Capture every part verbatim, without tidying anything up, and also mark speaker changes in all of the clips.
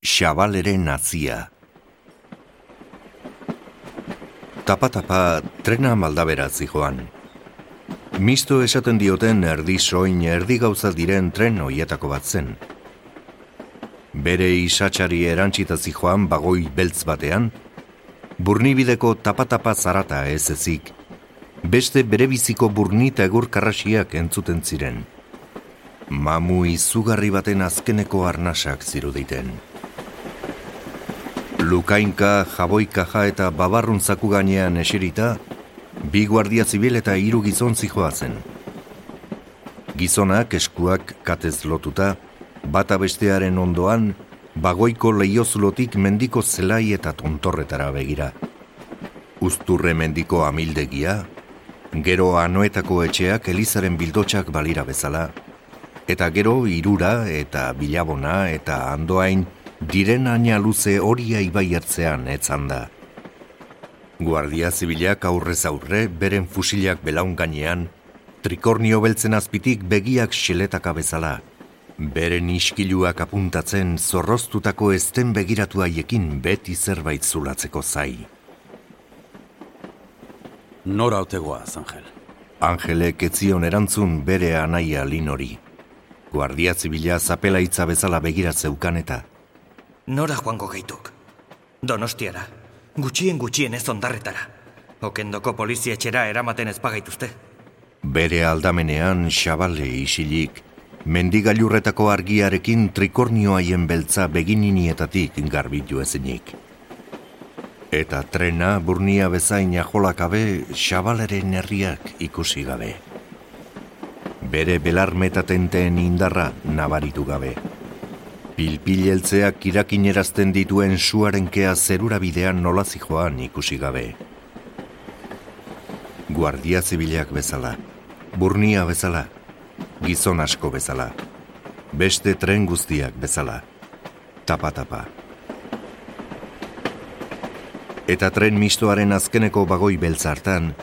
Speaker 1: Xabaleren nazia. Tapa-tapa trena maldaberat zijoan. Misto esaten dioten erdi soin erdi gauza diren tren hoietako bat zen. Bere isatsari erantzita zijoan bagoi beltz batean, burnibideko tapa-tapa zarata ez ezik, beste berebiziko burnita egur karrasiak entzuten ziren. Mamu izugarri baten azkeneko arnasak ziruditen. Lukainka, jaboikaja eta babarrun zaku gainean eserita, bi guardia zibil eta hiru gizon zijoazen. Gizonak eskuak katez lotuta, bata bestearen ondoan, bagoiko leiozulotik mendiko zelai eta tontorretara begira. Uzturre mendiko amildegia, gero anoetako etxeak elizaren bildotxak balira bezala, eta gero irura eta bilabona eta andoain diren aina luze horia ibai ertzean etzan da. Guardia zibilak aurrez aurre, beren fusilak belaun gainean, trikornio beltzen azpitik begiak xeletaka bezala, beren iskiluak apuntatzen zorroztutako ezten begiratu haiekin beti zerbait zulatzeko zai.
Speaker 2: Nora otegoaz, Angel?
Speaker 1: Angelek etzion erantzun bere anaia Linori. Guardia zibila zapelaitza bezala begirat zeukan eta
Speaker 3: Nora joango gaituk? Donostiara, gutxien gutxien ez ondarretara. Okendoko polizia etxera eramaten ezpagaituzte.
Speaker 1: Bere aldamenean xabale isilik, mendigailurretako argiarekin trikornio haien beltza begininietatik garbitu ezinik. Eta trena burnia bezain ajolakabe xabaleren herriak ikusi gabe. Bere belarmetatenteen indarra nabaritu gabe. Pilpileltzeak kirakinerazten dituen suarenkea zerura bidean nola zijoan ikusi gabe. Guardia zibilak bezala, burnia bezala, gizon asko bezala, beste tren guztiak bezala, tapa-tapa. Eta tren mistoaren azkeneko bagoi beltz hartan,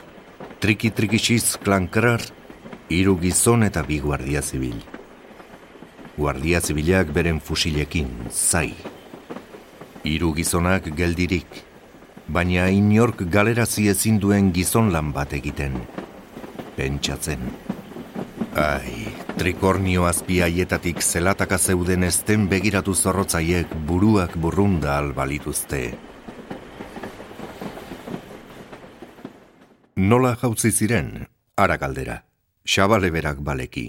Speaker 1: triki-trikixiz klankrar, hiru gizon eta bi guardia zibil. Guardia zibilak beren fusilekin, zai. Hiru gizonak geldirik, baina inork galerazi ezin duen gizon lan bat egiten. Pentsatzen. Ai, trikornio azpi haietatik zelataka zeuden ezten begiratu zorrotzaiek buruak burrunda albalituzte. Nola jautzi ziren, ara galdera, xabale berak baleki.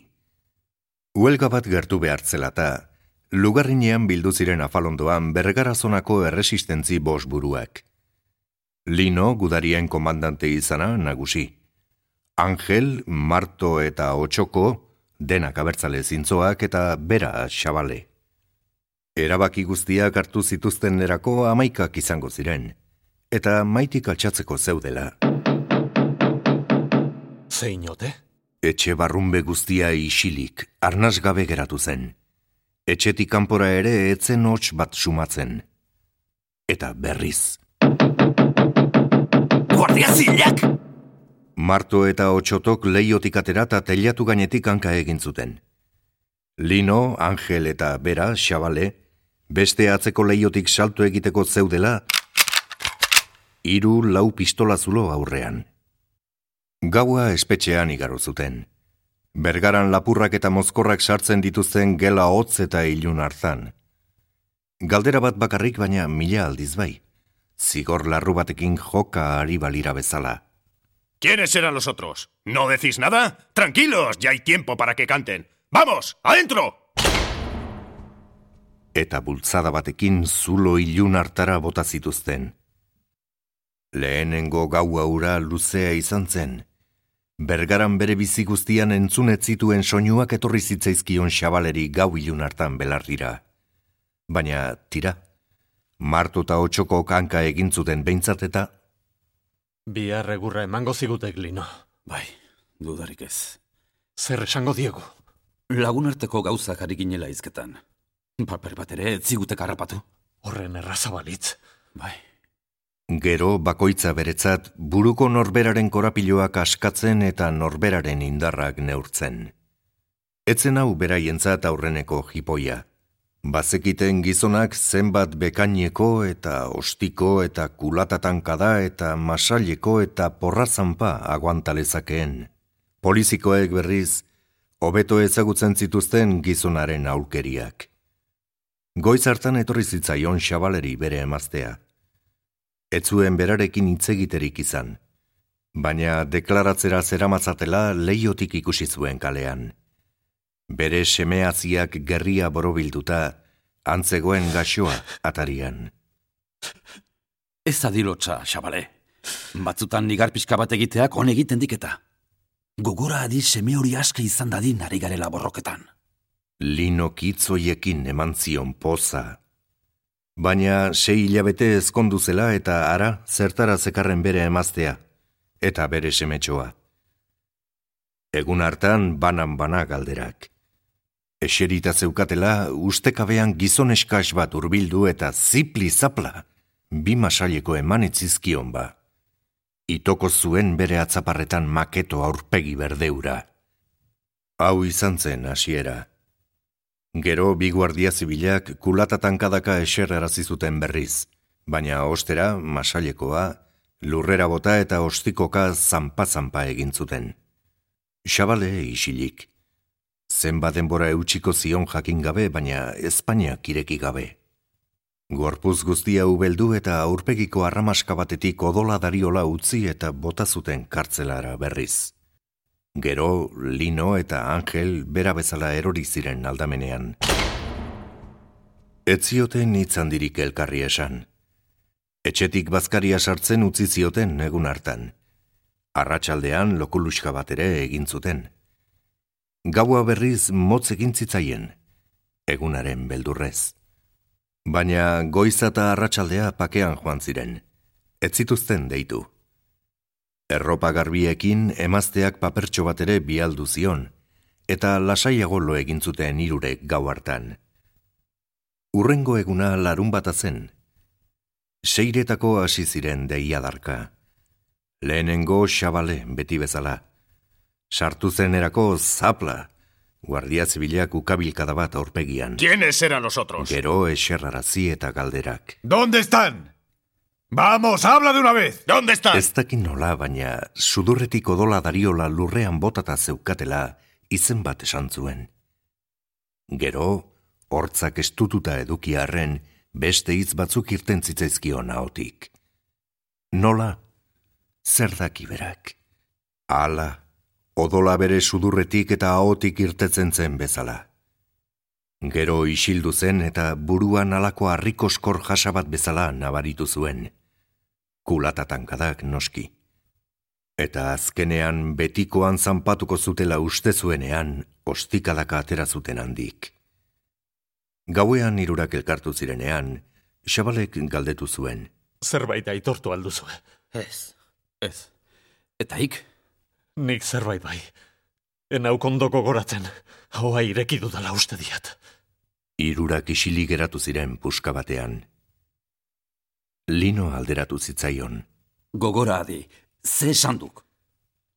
Speaker 1: Huelga bat gertu behartzelata, lugarrinean bildu ziren afalondoan Bergarazonako erresistentzi bos buruak. Lino gudarien komandante izana nagusi. Angel, Marto eta Otxoko, denak abertzale zintzoak eta bera xabale. Erabaki guztiak hartu zituzten erako amaikak izango ziren, eta maitik altxatzeko zeudela.
Speaker 2: Zeinote?
Speaker 1: Etxe barrunbe guztia isilik, arnaz gabe geratu zen. Etxetik kanpora ere etzen hots bat sumatzen. Eta berriz.
Speaker 3: Guardia zibilak!
Speaker 1: Marto eta Otxotok leiotik atera eta teilatu gainetik hanka egin zuten. Lino, Angel eta bera, xabale, beste atzeko leiotik salto egiteko zeudela, hiru lau pistola zulo aurrean. Gaua espetxean igaro zuten. Bergaran lapurrak eta mozkorrak sartzen dituzten gela hotz eta ilun hartan. Galdera bat bakarrik baina mila aldiz bai. Zigor larru batekin joka ari balira bezala.
Speaker 4: ¿Quiénes eran los otros? ¿No decís nada? Tranquilos, ya hay tiempo para que canten. ¡Vamos, adentro!
Speaker 1: Eta bultzada batekin zulo ilun hartara bota zituzten. Lehenengo gaua ura luzea izan zen. Bergaran bere bizi guztian entzunet zituen soinuak etorri zitzaizkion xabaleri gau ilun hartan belarrira. Baina, tira, Marto eta Otxoko kanka egin zuten behintzat eta...
Speaker 2: Bihar egurra emango zigutek, Lino.
Speaker 5: Bai, dudarik ez.
Speaker 2: Zer esango diegu?
Speaker 5: Lagunarteko gauzak ari ginela izketan. Paper bat ere ez zigutek harrapatu.
Speaker 2: Horren errazabalitz.
Speaker 5: Bai.
Speaker 1: Gero bakoitza beretzat buruko norberaren korapiloak askatzen eta norberaren indarrak neurtzen. Etzen hau beraientzat aurreneko jipoia. Bazekiten gizonak zenbat bekaineko eta ostiko eta kulatatankada eta masaileko eta porrazanpa aguantalezakeen. Polizikoek berriz, hobeto ezagutzen zituzten gizonaren aulkeriak. Goiz hartan etorri zitzaion Xabaleri bere emaztea. Ez zuen berarekin hitzegiterik izan, baina deklaratzera zeramatzatela leihotik ikusi zuen kalean. Bere semeaziak gerria borobilduta, antzegoen gaxoa atarian.
Speaker 5: Ez adilotxa, Xabale. Batzutan nigar pixka bat egiteak on egiten diketa. Gogora adi seme hori aske izan dadin ari garela borroketan.
Speaker 1: Lino kitzoiekin eman zion poza. Baina sei hilabete ezkondu zela eta ara zertara zekarren bere emaztea, eta bere semetxoa. Egun hartan banan-bana galderak. Eserita zeukatela, ustekabean gizon eskas bat hurbildu eta zipli-zapla, bi masaileko eman etzizkion ba. Itoko zuen bere atzaparretan maketo aurpegi berdeura. Hau izan zen hasiera. Gero bi guardia zibilak kulatatankadaka eserrarazi zuten berriz, baina ostera masailekoa, lurrera bota eta ostikoka zanpa-zanpa egin zuten. Xabale isilik. Zenbat denbora eutxiko zion jakin gabe, baina Espainiak ireki gabe. Gorpuz guztia ubeldu eta aurpegiko arramaska batetik odola dariola utzi eta bota zuten kartzelara berriz. Gero, Lino eta Angel bera bezala erori ziren aldamenean. Ez zioten hitz handirik elkarri esan. Etxetik bazkaria sartzen utzi zioten egun hartan. Arratsaldean lokuluska bat ere egin zuten. Gaua berriz motz egin zitzaien, egunaren beldurrez. Baina goiza eta arratsaldea pakean joan ziren, ez zituzten deitu. Erropa garbiekin emazteak papertxo bat ere bialdu zion, eta lasaiago lo egin zuten hirurek gau hartan. Urrengo eguna larun bata zen. Seiretako hasi ziren deiadarka. Lehenengo Xabale beti bezala. Sartu zenerako zapla, guardia zibilak ukabilkada bat aurpegian.
Speaker 4: ¿Quiénes eran los otros?
Speaker 1: Gero eserrarazi eta galderak.
Speaker 4: ¿Dónde están? ¡Vamos, habla de una vez! ¿Dónde están?
Speaker 1: Ez dakin nola, baina sudurretik odola dariola lurrean botata zeukatela izen bat esan zuen. Gero, hortzak estututa edukiarren, beste hitz batzuk irten zitzaizkion ahotik. Nola? Zer daki berak? Ala, odola bere sudurretik eta ahotik irtetzen zen bezala. Gero isildu zen eta buruan alako harrikoskor jasa bat bezala nabaritu zuen. Kulatatankadaak noski. Eta azkenean betikoan zanpatuko zutela uste zuenean, ostikadaka atera zuten handik. Gauean hirurak elkartu zirenean, Xabalek galdetu zuen.
Speaker 2: Zerbait aitortu alduzue.
Speaker 5: Ez, ez. Eta ik?
Speaker 2: Nik zerbait bai. Enauk ondoko goratzen, hoa ireki dudala uste diat.
Speaker 1: Hirurak isilik geratu ziren puska batean. Lino alderatu zitzaion.
Speaker 5: Gogora adi, ze esan duk?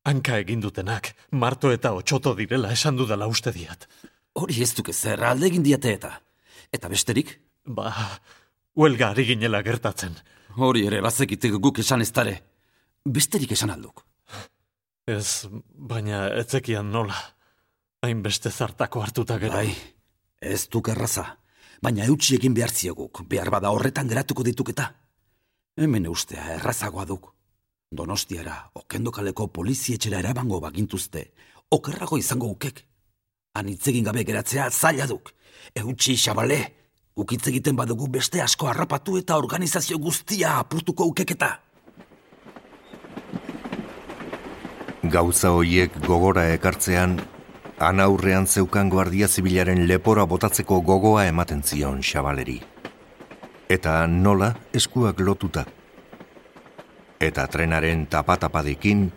Speaker 2: Hanka egin dutenak, marto eta otxoto direla esan dudala uste diat.
Speaker 5: Hori ez duke zer alde egin diate eta. Eta besterik?
Speaker 2: Ba, huelga ari ginela gertatzen.
Speaker 5: Hori ere bazekitek guk esan ez dare. Besterik esan alduk.
Speaker 2: Ez, baina etzekian nola. Hainbeste zartako hartuta gero.
Speaker 5: Bai, ez duk erraza. Baina eutxi egin behar zieguk, behar bada horretan geratuko dituketa. Hemen eustea errazagoa duk. Donostiara, okendokaleko polizietxera erabango bagintuzte, okerrago izango ukek. Han hitzegin gabe geratzea zaila duk. Eutxi, Xabale, guk hitz egiten badugu beste asko harrapatu eta organizazio guztia apurtuko ukeketa.
Speaker 1: Gauza hoiek gogora ekartzean, han aurrean zeukan guardia zibilaren lepora botatzeko gogoa ematen zion Xabaleri. Eta nola eskuak lotuta. Eta trenaren tapatapadekin,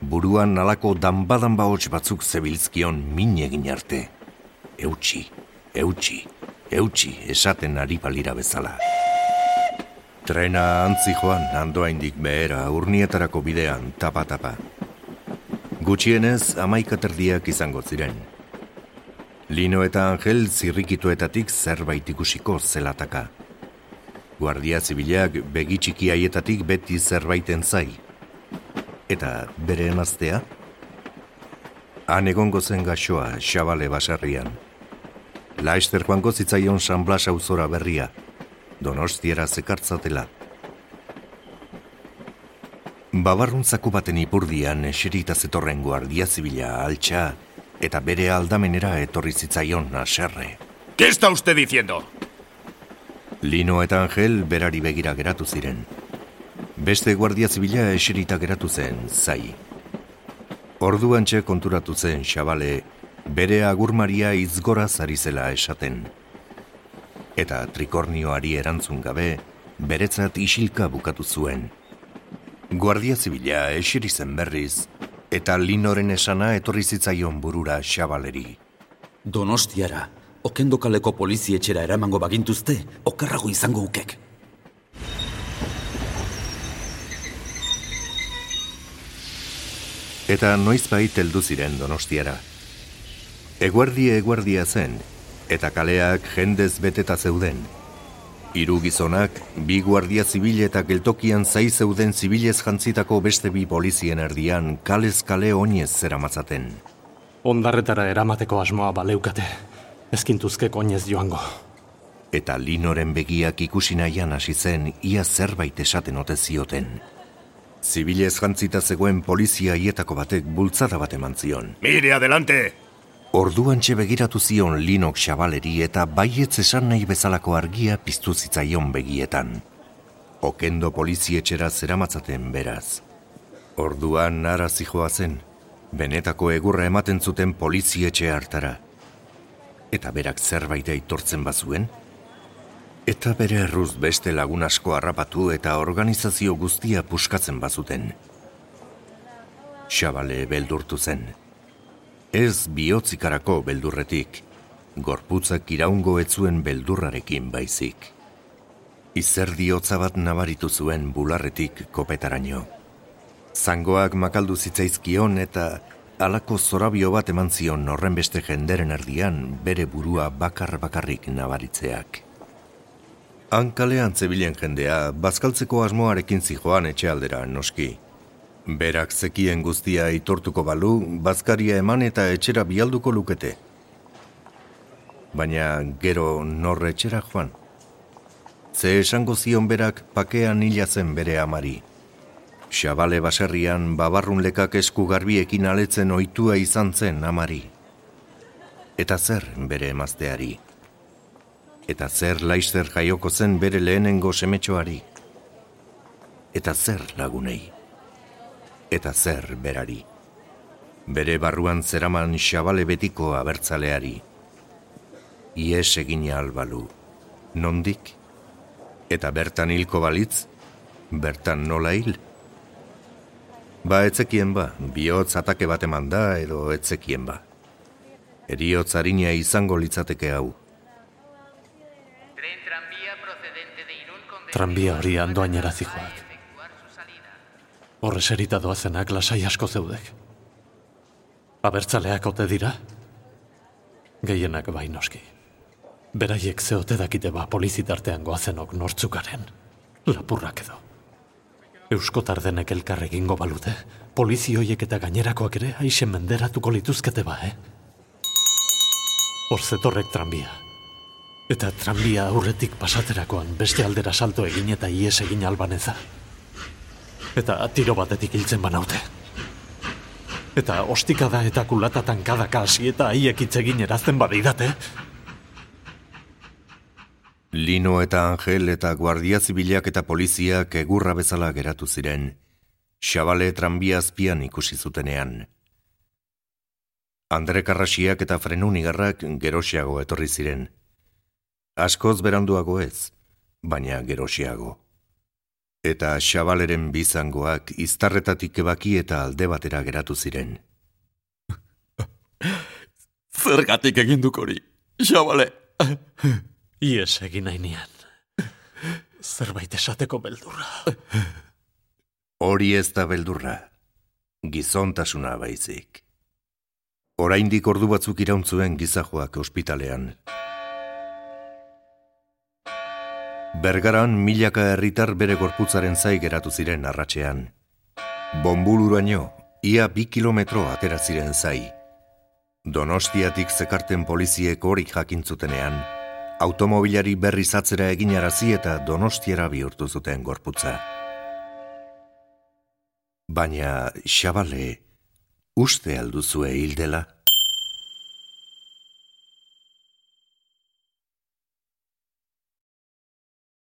Speaker 1: buruan nalako danbadan bahots batzuk zebilzkion min egin arte. Eutxi, eutxi, eutxi esaten ari balira bezala. Trena antzi joan handoaindik behera urnietarako bidean tapa-tapa. Gutxienez amaika terdiak izango ziren. Lino eta Angel zirrikituetatik zerbait ikusiko zelataka. Guardia zibilak begi txiki haietatik beti zerbaiten zai. Eta bere emaztea? Han egongo zen gaxoa, Xabale baserrian. Laester joango zitzaion San Blas auzora berria, Donostiara zekartzatela. Babarruntzaku baten ipurdian eserita zetorren guardia zibila altxa eta bere aldamenera etorri zitzaion haserre.
Speaker 4: ¿Qué está usted diciendo?
Speaker 1: Lino eta Angel berari begira geratu ziren. Beste guardia zibila eserita geratu zen, zai. Orduantxe konturatu zen Xabale bere agurmaria izgora zari zela esaten. Eta trikornioari erantzun gabe, beretzat isilka bukatu zuen. Guardia zibila eseri zen berriz, eta Linoren esana etorri zitzaion burura Xabaleri.
Speaker 5: Donostiara, Okendo kaleko polizietxera eramango bagintuzte, okerrago izango ukek.
Speaker 1: Eta noizbait heldu ziren Donostiara. Eguerdia eguerdia zen, eta kaleak jendez beteta zeuden. Hiru gizonak, bi guardia zibil eta geltokian zai zeuden zibilez jantzitako beste bi polizien erdian kalez kale oinez zeramatzaten.
Speaker 2: Ondarretara eramateko asmoa baleukate, ezkintuzkek oinez joango.
Speaker 1: Eta Linoren begiak ikusi nahian hasi zen ia zerbait esaten ote zioten. Zibilez jantzita zegoen polizia hietako batek bultzada bat eman zion.
Speaker 4: Mire, adelante!
Speaker 1: Orduantxe begiratu zion Linok Xabaleri eta baietz esan nahi bezalako argia piztu zitzaion begietan. Okendo polizietxera zeramatzaten beraz. Orduan nara zijoa zen, benetako egurra ematen zuten polizietxe hartara. Eta berak zerbait aitortzen bazuen? Eta bere erruz beste lagun asko harrapatu eta organizazio guztia puskatzen bazuten. Xabale beldurtu zen. Ez bihotzikarako beldurretik, gorputzak iraungo etzuen beldurrarekin baizik. Izerdi hotza bat nabaritu zuen bularretik kopetaraino. Zangoak makaldu zitzaizkion eta halako zorabio bat eman zion horren beste jenderen erdian bere burua bakar-bakarrik nabaritzeak. Hankalean zebilen jendea, bazkaltzeko asmoarekin zijoan etxealdera noski. Berak zekien guztia aitortuko balu, bazkaria eman eta etxera bialduko lukete. Baina gero norre etxera joan. Ze esango zion berak pakean hila zen bere amari. Xabale baserrian babarrun lekak esku garbiekin aletzen ohitua izan zen amari. Eta zer bere emazteari. Eta zer Laster jaioko zen bere lehenengo semetxoari. Eta zer lagunei. Eta zer berari. Bere barruan zeraman Xabale betiko abertzaleari. Ies egin albalu. Nondik? Eta bertan hilko balitz? Bertan nola hil? Ba etzekien ba, bihotz atake bat eman da edo etzekien ba. Eriotz harina izango litzateke hau.
Speaker 2: Tranbia hori andoainera zijoak. Horre serita doazenak lasai asko zeudek. Abertzaleak ote dira? Gehienak bai noski. Beraiek zeote dakite ba polizitartean goazenok nortzukaren. Lapurrak edo. Euskotar denek elkarregingo balute, polizioiek eta gainerakoak ere aixen menderatuko lituzkete ba, eh? Horzetorrek tranbia. Eta tranbia aurretik pasaterakoan beste aldera salto egin eta ies egin albaneza. Eta tiro batetik hiltzen banaute. Eta ostikada eta kulata tankadaka hasi eta haiek hitz egin erazten badidate.
Speaker 1: Lino eta Angel eta guardia zibilak eta poliziak egurra bezala geratu ziren, Xabale tranbia azpian ikusi zutenean. Andre Karrasiak eta Frenunigarrak gerosiago etorri ziren. Askoz beranduago ez, baina gerosiago. Eta Xabaleren bizangoak iztarretatik ebaki eta alde batera geratu ziren.
Speaker 5: Zergatik egin duk hori, Xabale?
Speaker 2: Ies egin nahi nian. Zerbait esateko beldurra.
Speaker 1: Hori ez da beldurra, gizontasuna baizik. Oraindik ordu batzuk irauntzuen gizajoak ospitalean. Bergaran milaka herritar bere gorputzaren zai geratu ziren arratsean. Bonbuluraino, ia bi kilometro atera ziren zai. Donostiatik zekarten poliziek hori jakintzutenean, automobilari berriz atzera eginarazi eta Donostiara bihurtu zuten gorputza. Baina, Xabale, uste alduzue hildela?